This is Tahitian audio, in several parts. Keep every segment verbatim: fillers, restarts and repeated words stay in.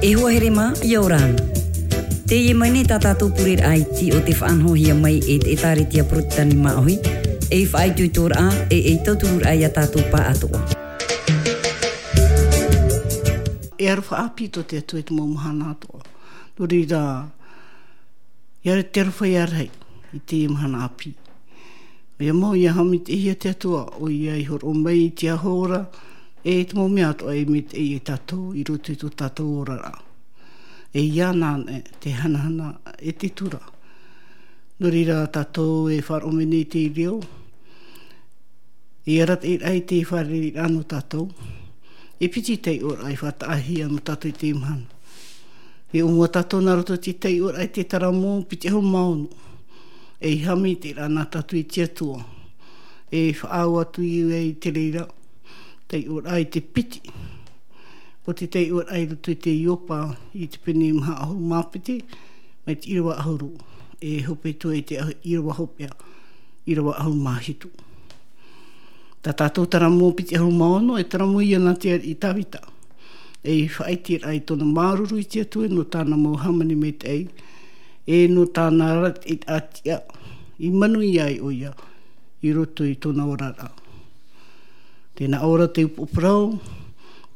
E hoa here mā, ʻia ora na. Teie mai nei tā tātou pureraʻa iti o te faʻanahohia mai e te ʻĒtārētia Porotitani Māʻohi, ei faʻaitoitoraʻa, e ei tautururaʻa ia tātou pāʻatoʻa. E aroha ʻāpī tō te Atua i te mau mahana atoʻa. Nō reira, ʻia ora te aroha ia rahi i teie mahana ʻāpī. ʻOia mau, ʻia haʻamaitaʻihia te Atua, ʻoia i hōroʻa mai i te aho ora, e te mau mea atoʻa e maitaʻi ia tātou i roto i tō tātou oraraʻa. E ia na anaʻe te hanahana e te tura. Nō reira tātou e faʻaroʻo mai nei i te reo, e arataʻiraʻa i te fārereiraʻa nō tātou. E piti taiʻoraʻa e faʻataʻahia nō tātou i teie mahana. E ʻōmua tātou nā roto i te taiʻoraʻa i te taramo piti ʻahuru mā ono. E haʻamaitaʻiraʻa nā tātou i te Atua. E faʻaau atu i te reira, taiʻoraʻa i te piti. ʻO te taiʻoraʻa i roto i te Iopa, i te pene maha ʻahuru mā piti, mai te ʻīrava ʻahuru, e hope atu i te ʻīrava hopeʻa, ʻīrava ʻahuru mā hitu. Tā tātou taramo piti ʻahuru mā ono, e taramo ia nā te ariʻi Tāvita. E faʻaʻiteraʻa i tōna māuruuru i te Atua nō tāna mau hāmani maitaʻi, e nō tāna arataʻiraʻa i manuia ai ʻoia i roto i tōna oraraʻa. Tē nā ʻō ra te upoʻo parau,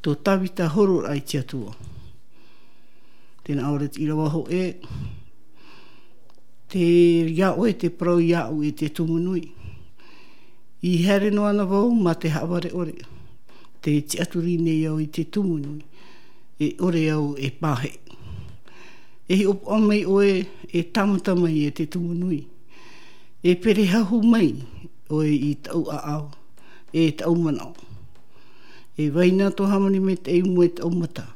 tō Tāvita hororaʻa i te Atua. Tē nā ʻō ra te ʻīrava hōʻē, tē ia ʻoe te parau iāʻu e te tumu nui. I haere noa na vau mā te haʻavare ʻore, tē tiʻaturi nei au i te tumu nui, e ʻore au e pāheʻi. E hiʻopoʻa mai ʻoe, e tāmata mai e te tumu nui. E perehahu mai ʻoe i taʻu ʻāʻau, e taʻu manaʻo. E vai na tō hāmani maitaʻi i mua i taʻu mata.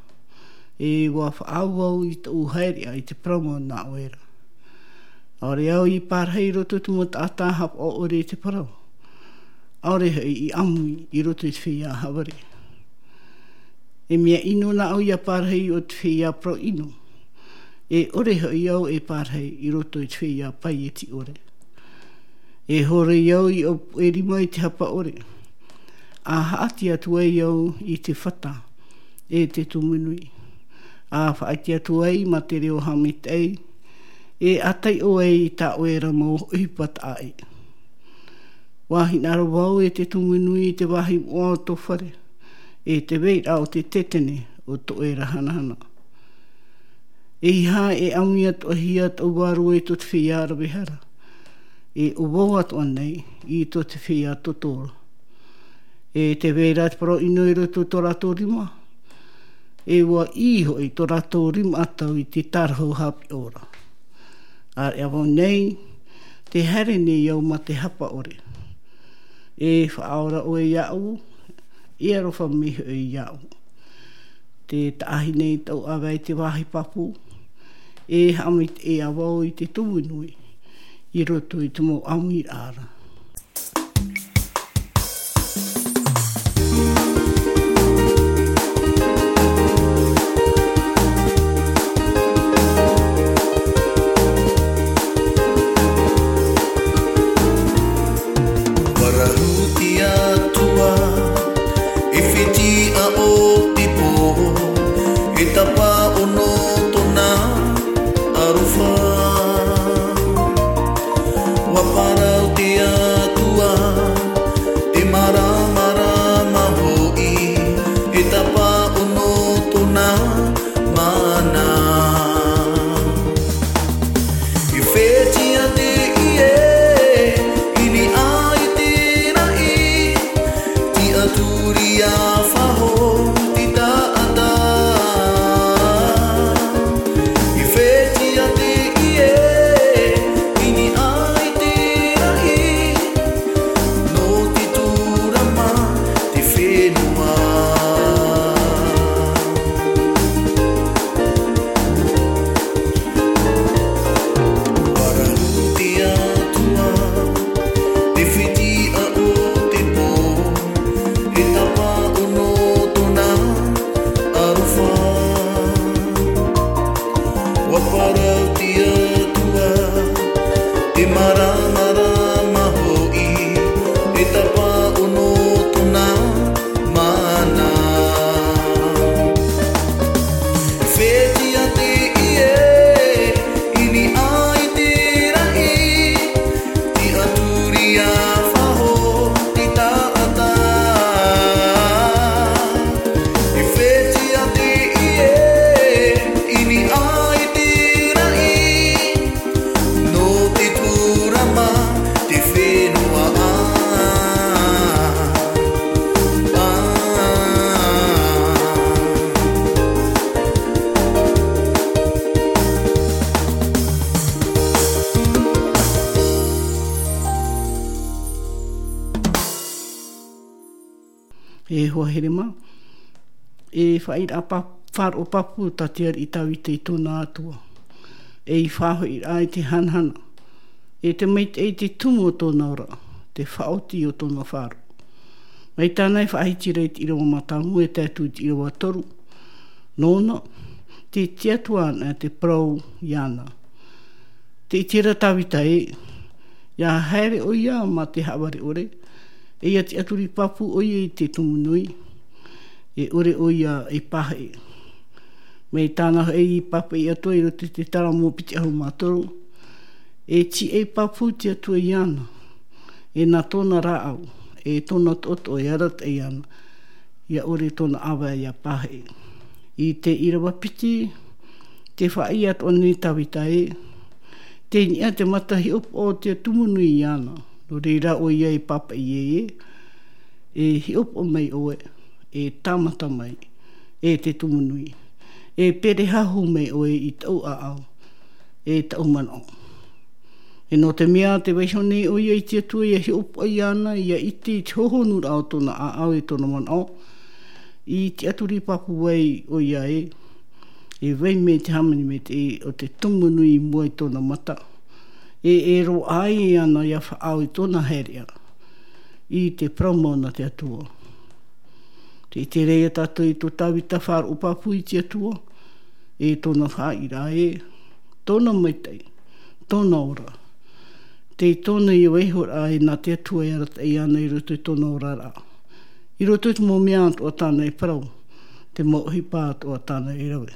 E ʻua faʻaau au i taʻu haereʻa i te parau mau nā ʻoe ra. ʻAore au i pārahi i roto i te mau taʻata haʻapaʻo ʻore i te parau. ʻAore hoʻi i ʻāmui i roto i te feiā haʻavare. E mea ʻino nā ʻu ʻia pārahi o te feiā parau ʻino. E ʻore hoʻi au e pārahi i roto i te feiā paieti ʻore. E hōroi au i ʻōpuʻe rima i te hapa ʻore. A haʻati atu ai au i te fata, e te tumu nui. A faʻaʻite atu ai mā te reo haʻamaitaʻi, e a taiʻo ai i tā ʻoe ra mau ʻohipa taʻa ʻē. ʻUa hinaʻaro vau e te tumu nui i te vāhi moʻa o tō fare, e te vairaʻa o te tetene o tō ʻoe ra hanahana. E ʻeiaha e ʻāmui atoʻahia taʻu vārua i tō te feiā rave hara, e ʻo vau atoʻa nei i tō te feiā toto ra. E tē vai ra te parau ʻino i roto i tō rātou rima, e ʻua ʻī hoʻi tō rātou rima ʻatau i te tārahu haʻapiʻi ra. ʻĀreʻa vau nei, tē haere nei au mā te hapa ʻore. E faʻaora ʻoe iāʻu, e aroha mai hoʻi iāʻu. Tē taʻahi nei taʻu ʻāvae i te vāhi pāpū, e haʻamaitaʻi ā vau i te tumu nui, i roto i te mau ʻāmuiraʻa ra. Parahu te Atua, e fetiʻa o te pō, e tapa ono tōna aroha. ʻUa parau te E hoa here mā, e faʻaʻiraʻa pa-, faʻaroʻo pāpū tā te ariʻi Tāvita i tōna Atua. E i faʻahoʻiraʻa i te hanahana. E te maitaʻi te tumu o tōna ora, te faʻaoti o tōna faʻaroʻo. Mai tāna e faʻahiti ra i te ʻīrava mātāmua e tae atu i te ʻīrava toru. Nōna, te tiʻaturi ana te parau iāna. Tē ʻite ra Tāvita ē, ʻia haere ʻoia mā te haʻavare ʻore, e ʻia tiʻaturi pāpū ʻoia i te tumu nui, e ʻore ʻoia e pāheʻe. Mai tāna hoʻi i pāpaʻi atoʻa i roto i te Salamo piti ʻahuru mā toru, e tīaʻi pāpū te Atua iāna, e nā tōna rāʻau, e tōna toʻotoʻo e arataʻi ana, ʻia ʻore tōna ʻāvae ʻia pāheʻe. I te ʻīrava piti, tē faʻaʻī atoʻa nei Tāvita ē, tei niʻa te mata hiʻopoʻa o te tumu nui iāna, nō reira ʻoia e pāpaʻi ē, e hiʻopoʻa mai ʻoe, e tāmata mai, e te tumu nui, e perehahu mai ʻoe i taʻu ʻāʻau, e taʻu manaʻo. E nō te mea tē vaiiho nei ʻoia i te Atua ʻia hiʻopoʻa iāna, ʻia ʻite i te hohonuraʻa o tōna ʻāʻau e tōna manaʻo, i tiʻaturi pāpū ai ʻoia ē, e vai mai te hāmani maitaʻi o te tumu nui i mua i tōna mata, e, e roaʻa ai iāna ʻia faʻaau i tōna haereʻa, i te parau mau nā te Atua. Tē ʻite ra ia tātou i tō Tāvita faʻaroʻo pāpū i te Atua, e tōna faʻaʻīraʻa ē, tōna maitaʻi, tōna ora. Tei tōna ia vaiihoraʻa e nā te Atua e arataʻi ana i roto i tōna oraraʻa. I roto i te mau mea atoʻa tāna e parau, te mau ʻohipa atoʻa tāna e rave.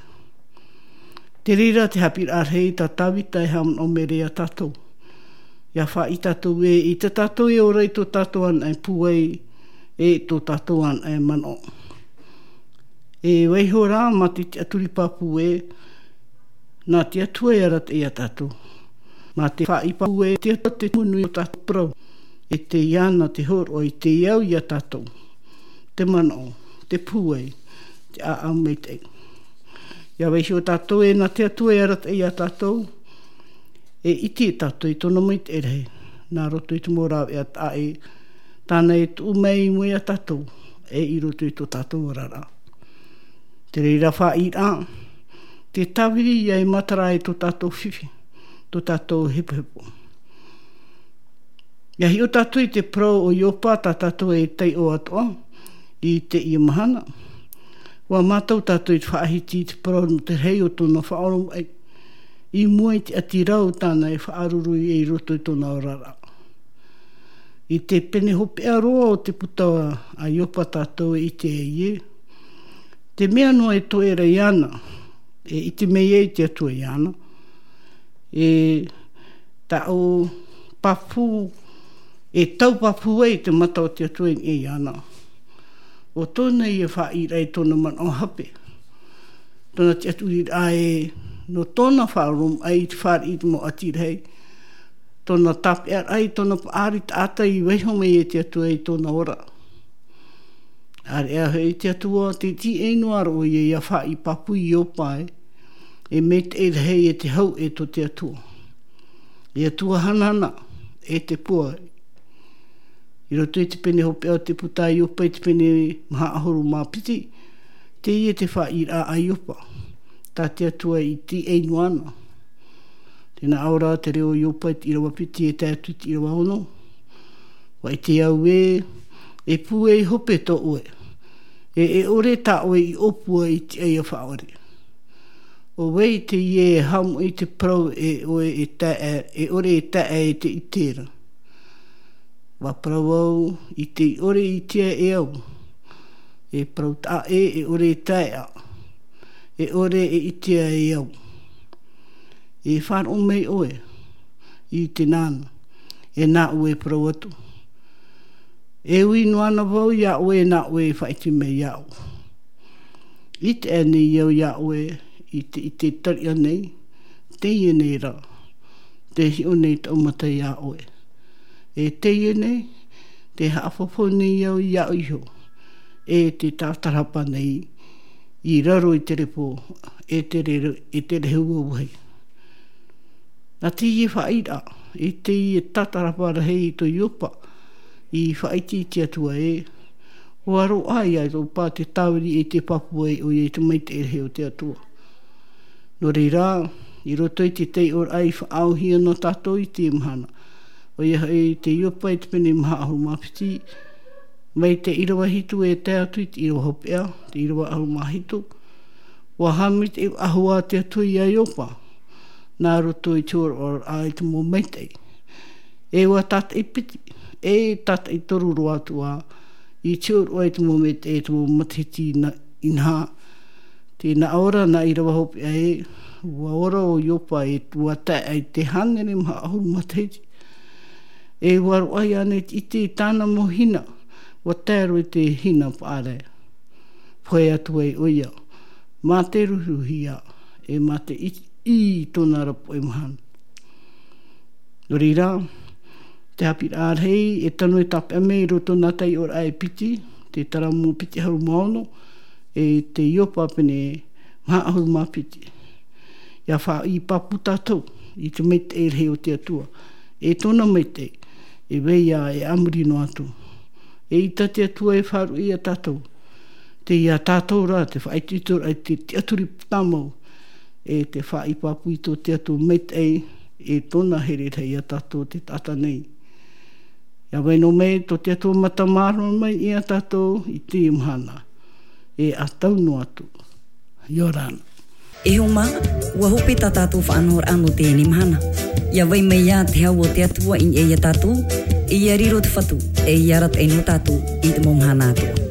Te reira te haʻapiʻiraʻa rahi tā Tāvita e haʻamanaʻo mai ra ia tātou. ʻIa faʻaʻī tātou ē, ʻaita tātou e ora i tō tātou anaʻe pūai, e tō tātou anaʻe manaʻo. E vaiiho rā mā te tiʻaturi pāpū ē, nā te Atua e arataʻi ia tātou. Mā te faʻaʻī pāpū ē, te Atua te tumu nui o tātou parau. E tei iāna te hōroʻa i te au ia tātou. Te manaʻo, te pūai, te ʻāʻau maitaʻi. ʻIa vaiiho tātou ē, nā te Atua e arataʻi ia tātou. E ʻite tātou i tōna maitaʻi rahi, nā roto i te mau rāveʻa taʻa ʻē, tāna e tuʻu mai i mua ia tātou, e i roto i tō tātou oraraʻa. Te reira faʻaʻīraʻa, te tāviri ʻia e matara ai tō tātou fifi, tō tātou hepohepo. ʻIa hiʻo tātou i te parau o Iopa tā tātou e taiʻo atoʻa, i teie mahana. ʻUa mātau tātou i te faʻahiti i te parau nō te rahi o tōna faʻaoromaʻi. I mua i te ʻati rau tāna e faʻaruru i roto i tōna oraraʻa. I te pene hopeʻa roa o te puta a Iopa tātou e ʻite ai ē. Te mea noa e toe ra iāna, e ʻite mai ai te Atua iāna. E taʻu pāpū, e tau pāpū ai te mata o te Atua i niʻa iāna. ʻO tōna ia faʻaʻīraʻa i tōna manaʻo hape. Tōna tiʻaturiraʻa ē, nō tōna faʻaoromaʻi i te fāriʻi i te mau ʻati rahi. Tōna tāpeʻaraʻa i tōna paʻari taʻata i vaiiho mai e te Atua i tōna ora. ʻAreʻa hoʻi te Atua, tē tīaʻi noa ra ʻoia ʻia faʻaʻī pāpū ia Iopa ē. E maitaʻi rahi e te hau e tō te Atua. E Atua hanahana, e te pūai. I roto i te pene hopeʻa o te puta a Iopa i te pene maha ʻahuru mā piti, teie te faʻaʻīraʻa a Iopa. Tā te Atua i tīaʻi noa ana. Tē nā ʻō ra te reo o Iopa i te ʻīrava piti e tae atu i te ʻīrava ono. ʻUa ʻite au ē, e pūai hope tō ʻoe. E, e ʻore tā ʻoe i ʻōpua i te ʻaiʻa faʻaʻore. ʻO vai teie e haʻamoʻe i te parau e ʻoe e tae, e ʻore e tae e te ʻite ra. ʻUa parau au i te ʻore i ʻitea e au. E parau taʻa ʻē, e ʻore e taeʻa. E ʻore e ʻitea e au. E faʻaroʻo mai ʻoe i te nāna, e nā ʻoe e parau atu. E ui noa ana vau iā ʻoe, e nā ʻoe e faʻaʻite mai iāʻu. ʻIte aʻe nei au iā ʻoe i te, i te tariʻa nei, teie nei rā, tē hiʻo nei taʻu mata iā ʻoe. E teie nei, tē haʻafaufaʻa nei au iāʻu iho, e tē tātarahapa nei i raro i te repo, e te re-, e te rehu auahi. Nā teie faʻaʻīraʻa, i teie tātarahapa rahi i tō Iopa, i faʻaʻite i te Atua ē, Ua roaʻa ia Iopa te tāviri e te pāpū ai ʻoia i te maitaʻi rahi o te Atua. Nō reira, i roto i te taiʻoraʻa i faʻaauhia nō tātou i te mahana, ʻoia hoʻi te Iopa i te pene maha ʻahuru mā piti, mai te ʻīrava hitu e tae atu i te ʻīrava hopeʻa, te ʻīrava ʻahuru mā hitu, ua haʻamaitaʻi faʻahou te Atua ia Iopa, nā roto i te hōroʻaraʻa i te mau maitaʻi. E ua tātaʻi piti, e tātaʻi toru roa atu ā, i te hōroʻa i te mau maitaʻi, e te mau matahiti inaha. Tē nā ʻō ra nā ʻīrava hopeʻa ē, ua ora ʻo Iopa e ua tae ai te hānere maha ʻahuru matahiti. E ua roaʻa ia ʻānei te ʻite i tāna mau hina, ua tae roa i te hina paʻari. Pohe atu ai ʻoia, mā te ruruhia, e mā te ʻī i tōna ra poʻe mahana. Nō reira, te haʻapiʻiraʻa rahi e tano e tāpeʻa mai i roto nā taiʻoraʻa e piti, te Taramo piti ʻahuru mā ono, e te Iopa pene maha ʻahuru mā piti. ʻIa faʻaʻī pāpū tātou i te maitaʻi rahi o te Atua, e tōna maitaʻi, e vai ā e a muri noa atu. E ʻita te Atua e faʻaruʻe ia tātou. Tei ia tātou rā te faʻaitoitoraʻa i te tiʻaturi tāmau, e te faʻaʻī pāpū i tō te Atua maitaʻi, e tōna here rahi ia tātou te taʻata nei. ʻIa vai noa mai tō te Atua mata māramarama ia tātou i teie mahana, e a tau noa atu. ʻIa ora na. E hoa mā, ua hope tā tātou faʻanahoraʻa nō teie mahana. ʻIa vai mai ā te hau o te Atua i niʻa ia tātou, e ʻia riro te Fatu, e ʻia arataʻi nō tātou i te mau mahana atoʻa.